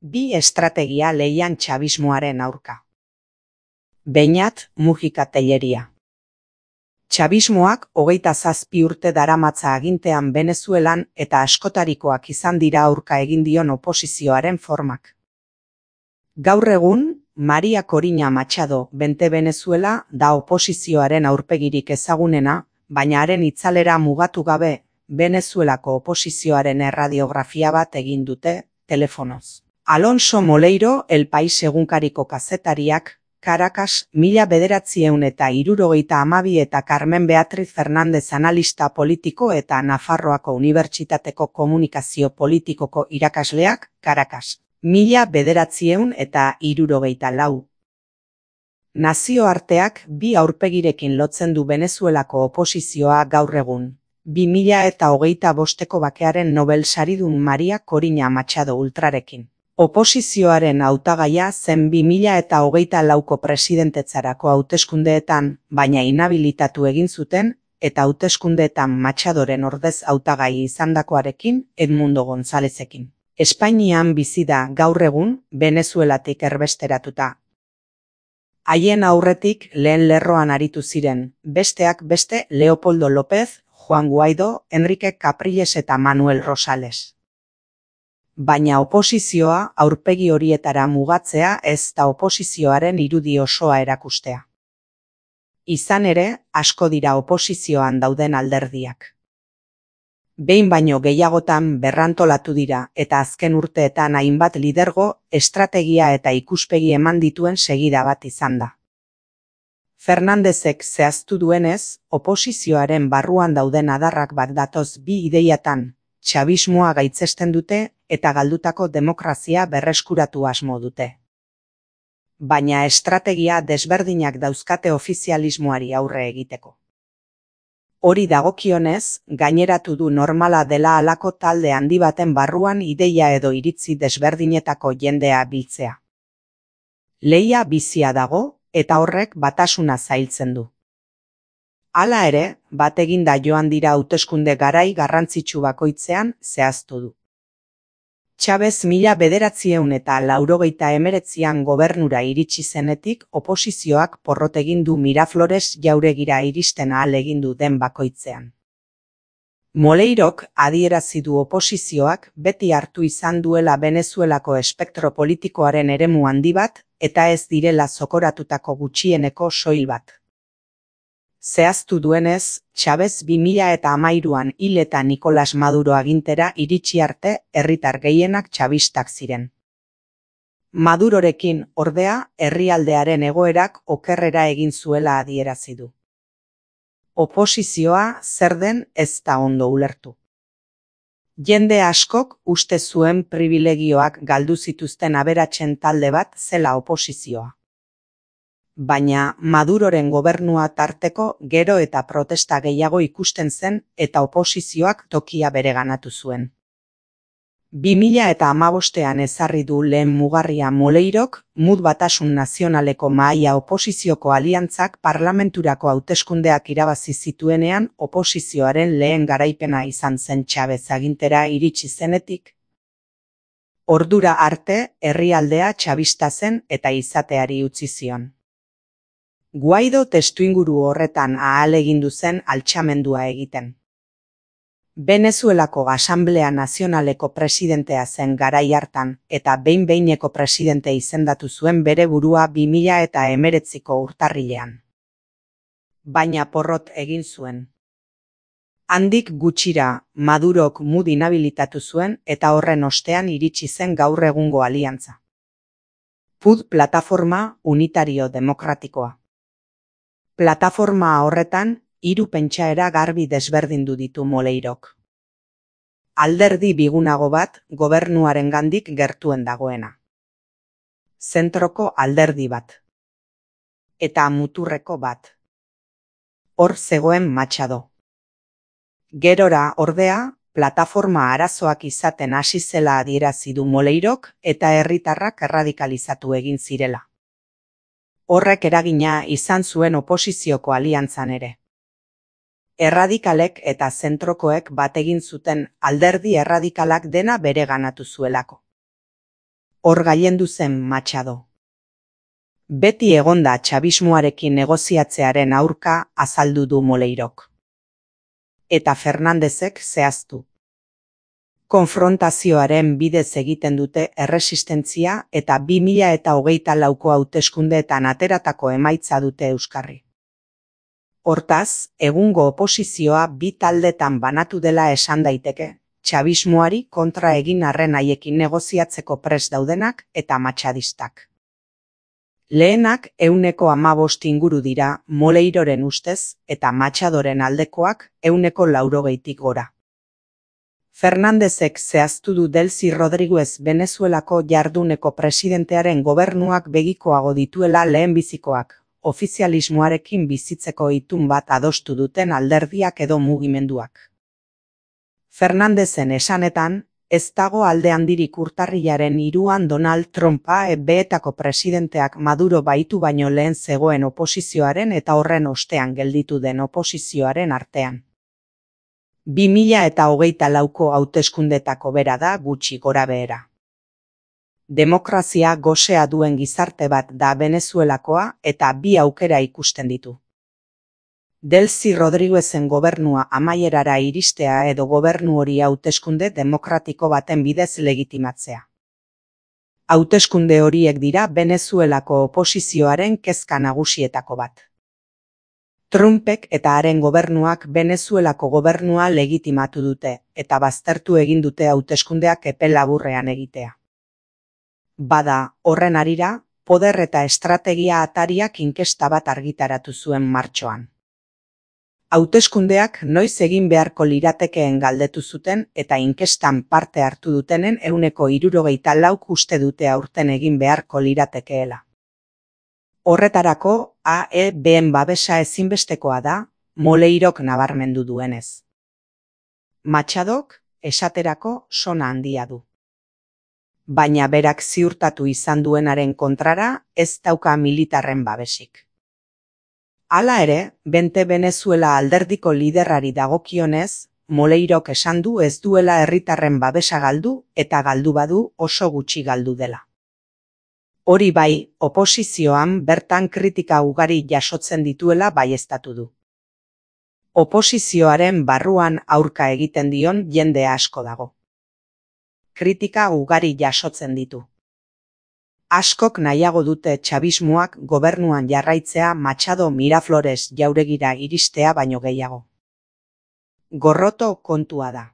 Bi estrategia lehian txabismoaren aurka. Beñat Mujika Telleria. Txabismoak 27 urte daramatza agintean Venezuelan eta askotarikoak izan dira aurka egin dion oposizioaren formak. Gaur egun, Maria Corina Machado Bente Venezuela da oposizioaren aurpegirik ezagunena, baina haren itzalera mugatu gabe, Venezuelako oposizioaren erradiografia bat egin dute, telefonoz. Alonso Moleiro El País egunkariko kazetariak, Caracas, 1972 eta Carmen Beatriz Fernández analista politiko eta Nafarroako Unibertsitateko komunikazio politikoko irakasleak, Caracas, 1974. Nazioarteak bi aurpegirekin lotzen du Venezuelako oposizioa gaur egun. 2025ko bakearen Nobel saridun Maria Corina Machado ultrarekin. Oposizioaren hautagaia zen 2024ko presidentetzarako hauteskundeetan, baina inhabilitatu egin zuten, eta hauteskundeetan Machadoren ordez hautagai izandakoarekin Edmundo Gonzalezekin. Espainian bizi da gaur egun, Venezuelatik erbesteratuta. Haien aurretik lehen lerroan aritu ziren, besteak beste Leopoldo López, Juan Guaidó, Enrique Capriles eta Manuel Rosales. Baina oposizioa aurpegi horietara mugatzea ez da oposizioaren irudi osoa erakustea. Izan ere, asko dira oposizioan dauden alderdiak. Behin baino gehiagotan berrantolatu dira eta azken urteetan hainbat lidergo, estrategia eta ikuspegi eman dituen segida bat izan da. Fernándezek zehaztu duenez, oposizioaren barruan dauden adarrak bat datoz bi ideiatan, txabismoa gaitzesten dute eta galdutako demokrazia berreskuratu asmo dute. Baina estrategia desberdinak dauzkate ofizialismoari aurre egiteko. Hori dagokionez, gaineratu du normala dela halako talde handi baten barruan ideia edo iritzi desberdinetako jendea biltzea. Lehia bizia dago, eta horrek batasuna zailtzen du. Hala ere, bat eginda joan dira hauteskunde garai garrantzitsu bakoitzean zehaztu du. Chavez 1989an gobernura iritsi zenetik oposizioak porrot egin du Miraflores jauregira iristen ahal egin du den bakoitzean. Moleirok adierazi du oposizioak beti hartu izan duela Venezuelako espektro politikoaren eremu handi bat eta ez direla zokoratutako gutxieneko soil bat. Zehaztu duenez, Chavez 2013an hil eta Nicolás Maduro agintera iritsi arte herritar gehienak txabistak ziren. Madurorekin, ordea, herrialdearen egoerak okerrera egin zuela adierazi du. Oposizioa zer den ez da ondo ulertu. Jende askok uste zuen pribilegioak galdu zituzten aberatsen talde bat zela oposizioa. Baina Maduroren gobernua tarteko gero eta protesta gehiago ikusten zen eta oposizioak tokia bereganatu zuen. 2015an ezarri du lehen mugarria Moleirok, MUD Batasun Nazionaleko Mahaia Oposizioko Aliantzak parlamenturako hauteskundeak irabazi zituenean oposizioaren lehen garaipena izan zen Chavez agintera iritsi zenetik. Ordura arte herrialdea txabista zen eta izateari utzi zion. Guaido testuinguru horretan ahalegindu zen altxamendua egiten. Venezuelako Asanblea Nazionaleko presidentea zen garai hartan eta behin-behineko presidente izendatu zuen bere burua 2019ko urtarrilean. Baina porrot egin zuen. Handik gutxira, Madurok MUD inhabilitatu zuen eta horren ostean iritsi zen gaur egungo aliantza. PUD Plataforma Unitario Demokratikoa. Plataforma horretan, 3 pentsaera garbi desberdindu ditu Moleirok. Alderdi bigunago bat, gobernuarengandik gertuen dagoena. Zentroko alderdi bat. Eta muturreko bat. Hor zegoen Machado. Gerora, ordea, plataforma arazoak izaten hasi zela adierazi du Moleirok eta herritarrak erradikalizatu egin zirela. Horrek eragina izan zuen oposizioko aliantzan ere. Erradikalek eta zentrokoek bat egin zuten alderdi erradikalak dena bereganatu zuelako. Hor gailendu zen Machado. Beti egonda txabismoarekin negoziatzearen aurka azaldu du Moleirok. Eta Fernandezek zehaztu. Konfrontazioaren bidez egiten dute erresistentzia eta 2024ko hauteskundeetan ateratako emaitza dute euskarri. Hortaz, egungo oposizioa bi taldetan banatu dela esan daiteke, txabismoari kontra egin arren haiekin negoziatzeko prest daudenak eta matxadistak. Lehenak 15% inguru dira Moleiroren ustez eta Machadoren aldekoak 80%tik gora. Fernandezek zehaztu du Delcy Rodríguez Venezuelako jarduneko presidentearen gobernuak begikoago dituela lehenbizikoak, ofizialismoarekin bizitzeko itun bat adostu duten alderdiak edo mugimenduak. Fernandezen esanetan, ez dago alde handirik urtarrilaren 3an Donald Trumpa beetako presidenteak Maduro baitu baino lehen zegoen oposizioaren eta horren ostean gelditu den oposizioaren artean. 2024ko hauteskundetako bera da gutxi gorabehera. Demokrazia gosea duen gizarte bat da Venezuelakoa eta bi aukera ikusten ditu. Delcy Rodríguezen gobernua amaierara iristea edo gobernu hori hauteskunde demokratiko baten bidez legitimatzea. Hauteskunde horiek dira Venezuelako oposizioaren kezka nagusietako bat. Trumpek eta haren gobernuak Venezuelako gobernua legitimatu dute eta baztertu egin dute hauteskundeak epe laburrean egitea. Bada, horren harira, poder eta estrategia atariak inkesta bat argitaratu zuen martxoan. Hauteskundeak noiz egin beharko liratekeen galdetu zuten eta inkestan parte hartu dutenen 64% uste dute aurten egin beharko liratekeela. Horretarako, AEBen babesa ezinbestekoa da, Moleirok nabarmendu duenez. Machadok, esaterako, sona handia du. Baina berak ziurtatu izan duenaren kontrara, ez dauka militarren babesik. Hala ere, Bente Venezuela alderdiko liderrari dagokionez, Moleirok esan du ez duela herritarren babesa galdu eta galdu badu oso gutxi galdu dela. Hori bai, oposizioan bertan kritika ugari jasotzen dituela baieztatu du. Oposizioaren barruan aurka egiten dion jende asko dago. Kritika ugari jasotzen ditu. Askok nahiago dute txabismoak gobernuan jarraitzea Machado Miraflores jauregira iristea baino gehiago. Gorroto kontua da.